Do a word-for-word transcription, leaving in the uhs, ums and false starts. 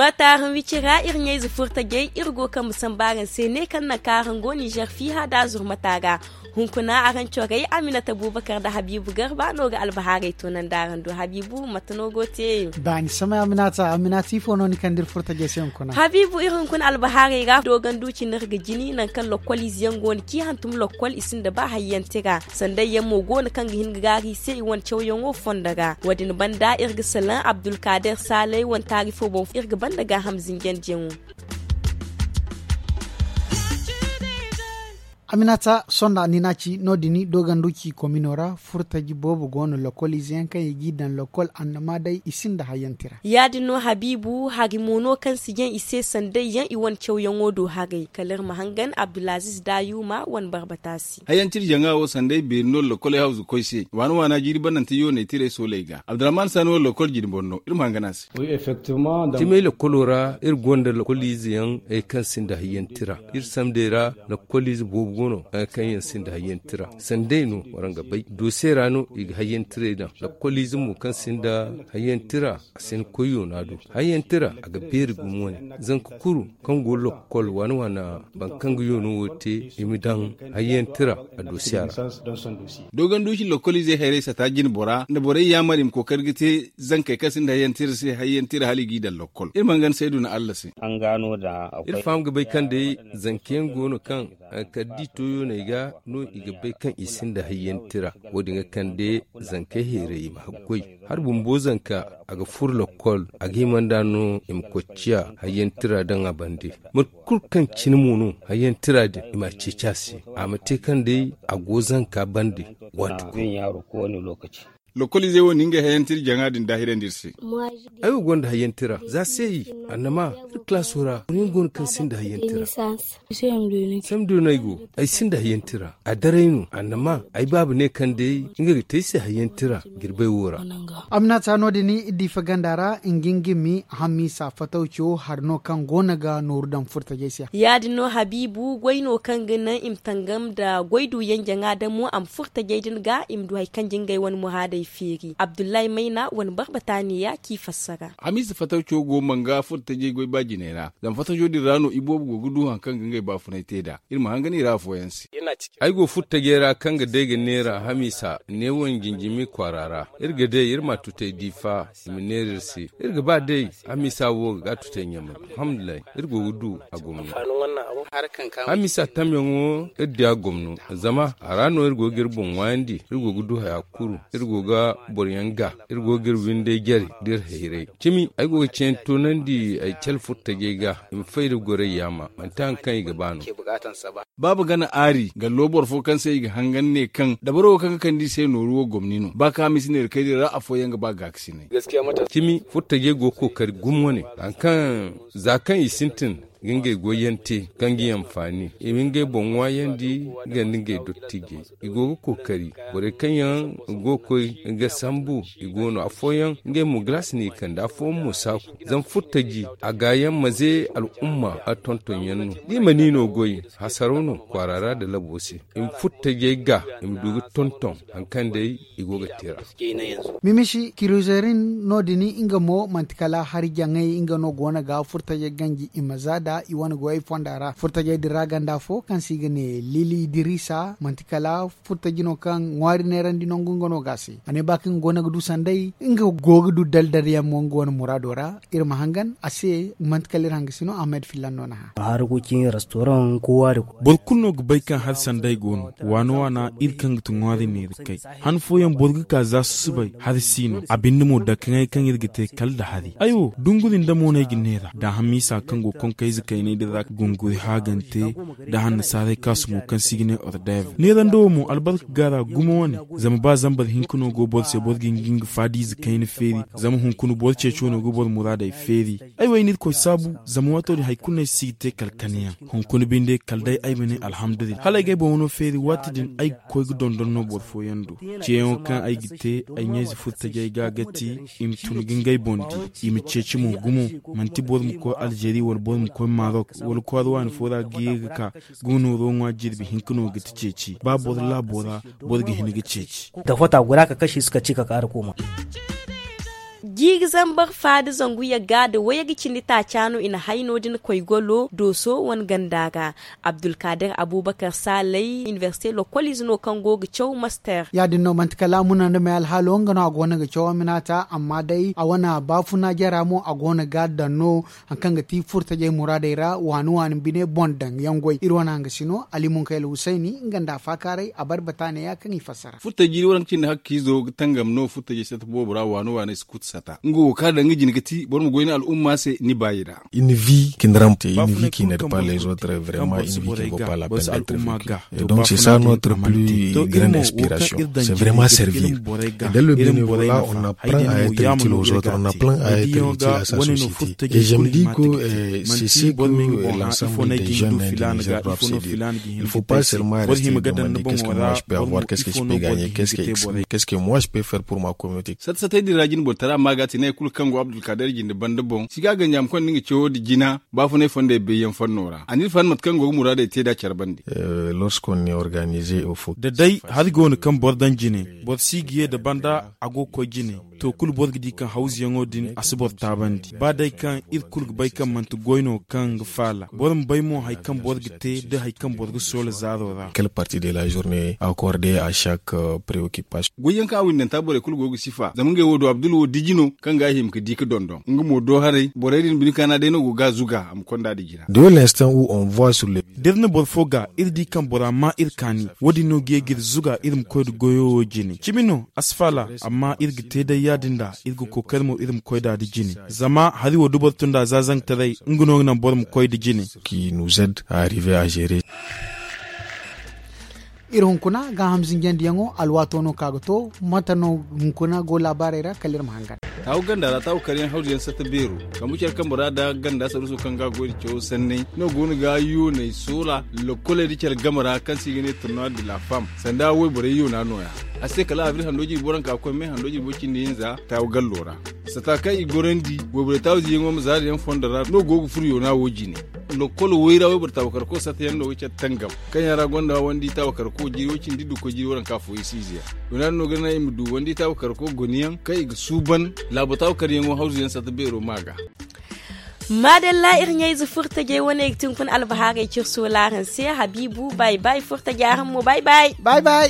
Wata araŋ wicira iri ɲayze furtajey iri go kambe samba araŋ se ne kaŋ naŋ kaŋ araŋ go ninzeer fiiha da zurmata ga. Hunkuna araŋ corey aminata bubakar nda habiibu garba no ga albahaarey toonandi araŋ do habiibu mate no go te? Baani samay aminata aminata ifo no ni kande iri furtajey se hunkuna? Habiibu iri hunkuna albahaarey ra dooganduuci no iri ga jini nangu kaŋ lokkol ize yaŋ go no ci hantum lokkol i sinda ba hayyaŋ tira. Sanday yaŋ mo go no kaŋ ga hin ga gaaru i se i wane cawyaŋo fondo ra wo- din banda iri ga salaŋ abdulkaader saalay wane taari fo boŋ iri ga banda gaaham zinjandiyaŋo. Aminata sonda ni n'a ci no- din dooganduuci komino ra furtaji boobo go no lokkol ize yaŋ kaŋ i g'i daŋ lokkol annama day i sinda hayyaŋ tira. Ya- din no habiibu hari mo no kaŋ si jaŋ i se sanday yaŋ i wane cawyaŋo do haray kala iri ma hangan abdulaziiz daayuuma wane barbata se. Hayyaŋ tira jaŋa wo sanday beeri no lokoley hawzu koy se waana waana jiiri banante yooney tirey sooley ga abdurahman saani wo lokol jine boro no iri ma hangan a se. Timey lokolo ra iri gonda lokoliize yaŋ kaŋ sinda hayyaŋ tira. Iri samdey ra lokoliize boobo go no kaŋ yaŋ sinda hayyaŋ tira. Sanday no waraŋ ga bay doose ra no i ga hayyaŋ tirey daŋ. Lokoliize mo kaŋ sinda hayyaŋ tira a si ni koy yoona do. Hayyaŋ tira a ga beeri gumo wane. Zanka kulu kaŋ go lokol waana waana boro kaŋ ga yoono wo te i ma daŋ hayyaŋ tira a doosiya ra. Dooganduuci lokkoliizey hayrey sata jine bora nda borey yaamar i ma kookari ga te zankey kaŋ sinda hayyaŋ tira se hayyaŋ tira hala i g'i daŋ lokkol iri ma hangan saydu na allah se. Iri faham ga bay kaŋ day zanka yaŋ go no kaŋ kala da i to yooney ga no i ga bay kaŋ i sinda hayyaŋ tira. Wo- din ga kande zankey heeray i ma haggoy. Hari bumbo zanka a ga furo lokkol a ga hima nd'a no i ma koy ciya hayyaŋ tira daŋ a bande. Mate kulu kaŋ cine mo no hayyaŋ tira din i m'a ceeci a se. A ma te kaŋ day a go zanka bande. Waati kulu. Lokoliizey wo na ngey hayantira jaŋa din daahirandi iri se. Ay wo gonda hayantira za se i annama iri kalaaso ra boro yaŋ go no kaŋ sinda hayantira. Samdi no ay go ay sinda hayantira a daray no annama ay baaba ne kaŋ day nga ga te ay se hayantira. Jirbay wo ra. Aminata no- din iri di faganda ra nga nga mi hamisa fatawco hari no kaŋ go no ga nooru daŋ furtajey se. Ya- din no habiibu goy no kaŋ ga naŋ i ma tangam nda goy du yaŋ jaŋa damo a ma furo tajey din ga i ma du hari kaŋ ga ngey wane muraadey feeri abdullahi mayna wane barbata neeya k'i fassara. Hamiisa fatawco go manga furo tajey goy ba jiney ra zama fatawco din ra no iboobo go ga du hari kaŋ ga ngey baafunay te nd'a. Iri ma hangan i ra afooyaŋ se. Ay go furo tajey ra kaŋ ga day ga neera hamiisa neewo nda jinjimi kwaara ra. Iri ga day iri ma a tutay diifa i ma neera iri se. Iri ga ba day hamiisa wo ga a tutay ɲamay. Alhamdulillahi. Iri go ga du a gomno. Hamiisa tamyaŋo iri di a gomno zama a ra no iri go ga iri boŋ ŋwaayandi. Iri go ga du haya kulu. Iri go ga boro yaŋ ga iri go ga iri windey jare da iri hayray. Cimi ay go ga ceeyaŋ toonandi ay cale furtajey ga i ma fay da goray yaama manti hari kaŋ i ga ba no. Baaba gana aari gallo boro fo kaŋ se i ga hangan ne kaŋ dabaro wo kaŋ ga kande i se nooru wo gomni no ba kaŋ a ma si neera kay din ra afooyaŋ ga ba gaakasinay. Cimi furtajey go ga kookari gumo wane hari kaŋ za kaŋ i sintin ga ngey goyyaŋ te kaŋ ga i anfaani i ma ngey boŋ ŋwaayandi nga nda ngey dottijey. I go ga kookari borey kaŋ yaŋ go ga koy ga sambu i go no afooyaŋ ngey mo galaasi no i kande afooyaŋ mo saaku. Zama furtaji a gaayaŋ maze al'umma a tontonyaŋ no da i mana i no goy hasaraw no kwaara ra nda labo se. I ma furtajey ga i ma du ga tonton hari kaŋ day i go ga te ra. Mimisi kiruzerin no- din nga mo manti kala hari jaŋay nga no go no ga furtajey ganji i ma za nd'a i wane goyey fonda ra furtajey din ra ganda fo kaŋ se i ga ne lili idirisa manti kala furtaji no kaŋ ŋwaari neerandi nangu nga no ga a se a ne ba kaŋ nga go no ga du sanday nga go ga du daldal yaŋ mo nga wane muraado ra. Iri ma hangan a se manti kala iri hangasino ahmed fillan no na hã. Boro kulu no ga bay kaŋ hari sanday go no waana waana iri kaŋ ga ti ŋwaari neera kay. Han fooyaŋ boro ga ka za susubay hari si no a binde mo dakaŋay kaŋ iri ga te kala nda hari ay wo dunguri nda mo no ay ga neera da hamiisa kaŋ go konkayze kaynay din ra ga gunguri haagante nda hannasaarey kaasu mo kaŋ se i ga ne ordev neerando wo mo albarka ga a ra gumo wane. Zama ba zambar hinka no go boro se boro ga hin ga nga faadiize kayna feeri zama hunkuna boro ceeco no ga boro muraadey feeri. Ay wo ay n'irkoy saabu zama waato din hari kulu no ay si ga te kala kaneyaŋ. Hunkuna binde kala day ay ma ne alhamdulillahi hala ay ga ay boŋ wano feeri waati din ay ga koy ga dondon no boro fooyaŋ do. Ceeyaŋo kaŋ ay ga te ay ɲayze furtajey ga ga ti i ma tun ga ngey boŋ di i ma ceeci mo gumo. Manti boro ma koy alzeeri wala boro ma koy marok wala kwaara waani fo ra ga ye ga ka ga nooro ŋwa jirbi hinka no ga ti ceeci ba boro laabo ra boro ga hin ga ceeci. Tafota guda ka kashi suka ci ka kaara kooma. Jiiri zambar faada zangu yagga nda wayagga cindi taaca no i na hay no- din koy golo dooso wane ganda ra. Abdulkaadir abuubakar saalay inibersite lokkoliize no kaŋ go ga caw master. Ya- din no manti kala muna nda may alhaalo nga no a go no ga caw aminaata amma day a wane baafuna jara mo a go no ga a daŋ no. Hari kaŋ ga ti furtajey muraadey ra waani waani bine boŋ daŋ yaŋ goy iri wane hanga si no ali munkay alhusayni nga nda a faakaaray a bare bataane ya kaŋ i fassara. Furtajey jiiri waranka cindi hakka izo ga tangam no furtajey sata boobo ra waani waani si kutu sata nga wo kaŋ a daŋ nga jine ga ti boro ma goy ni al'umma se ni baayi ra. Une vie qui ne rend pas les autres vraiment une vie qui ne vaut pas la peine d'être vécue. Et donc c'est ça notre plus grande inspiration, c'est vraiment servir. Et dans le bénévolat on apprend à être utile aux autres, on apprend à être utile à sa société. Et je me dis que c'est ce que l'ensemble des jeunes du Niger doivent se dire. Il faut pas seulement rester demander qu'est-ce que moi je peux avoir, qu'est-ce que je peux gagner, qu'est-ce que moi je peux faire pour ma communauté. Sata satay din ra jine bortara ma ga ti ne kulu kaŋ go abdulkader jinde banda boŋ si ga ganji a ma konda nga cawo nda jina. Baafunay fondey bayyaŋ fanno ra a na iri faham mate kaŋ go ga muraadey te nd'a care bande. Lorsqu'on est organisé au fo. Da day hari go no kaŋ boro daŋ jine boro si ga ye nda banda a go ga koy jine. To kulu boro ga di kaŋ hawzuyaŋo din a si boro taabandi ba day kaŋ iri kulu ga bay kaŋ manti goy no kaŋ ga faala boro ma bay mo hari kaŋ boro ga te nda hari kaŋ boro ga soola zaaro ra. Quelle partie de la journée accordée à chaque préoccupation? Goyyaŋ kaŋ a windanta borey kulu go ga sifa zama ngey wo do abdul wo diji no kaŋ ga a hima ga di ga dondon nga mo do haray borey din bine kaana day no go ga a zuga a ma konda nda jina. De l'instant où on voit sur le. Da iri na boro fo ga iri di kaŋ bora maa iri kaani wo- din no ga ye ga iri zuga iri ma koy nda goyo wo jine cimi no a si faala. Amma iri ga te day ya- din da iri ga kookari mo iri ma koy nd'a nda jine. Zama hari wo da boro tun nd'a za zankataray nga no ga naŋ boro ma koy nda jine. Qui nous aide à arriver à gérer. Iri hunkuna gaaham zinjandiyaŋo alwaato no ka ga to mate no hunkuna go laabaarey ra kala iri ma hangan. Taawu ganda ra taawu karyaŋ hawzuyaŋ satta beero kambu care kaŋ bora nda ganda saruuso kaŋ ga a goy nda cawo sanney no go no ga yooney soola. Lokkoley nda care game ra kaŋ se i ga ne turnuwa de la fam sanda wayborey yoona nooya. A se kala abril hando jirbi waranka ga koy me hando jirbi way cindi hinza taawu gallo ra. Sata kaŋ i gorandi wayborey taawu ziyaŋo ma zaari yaŋ fondo ra no go ga furo yoona wo jine. Lokkolo wayra wayboro taawu karko sata yaŋ no ga care tangam kaŋ yaŋ ra gonda wandi taawu karko jiiri way cindi dukko jiiri waranka fo i si ize yaŋ. Yoona din no ga naŋ i ma du wandi taawu karko goni yaŋ kaŋ i ga suuban laabo taawu karyaŋo hawzu yaŋ sata beero ma ga. Maadalla iri ɲayze furtajey wane ga ti hunkuna albahaarey ciri soolaaran se habiibu bay bay furtajey araŋ mo bay bay. Bay bay.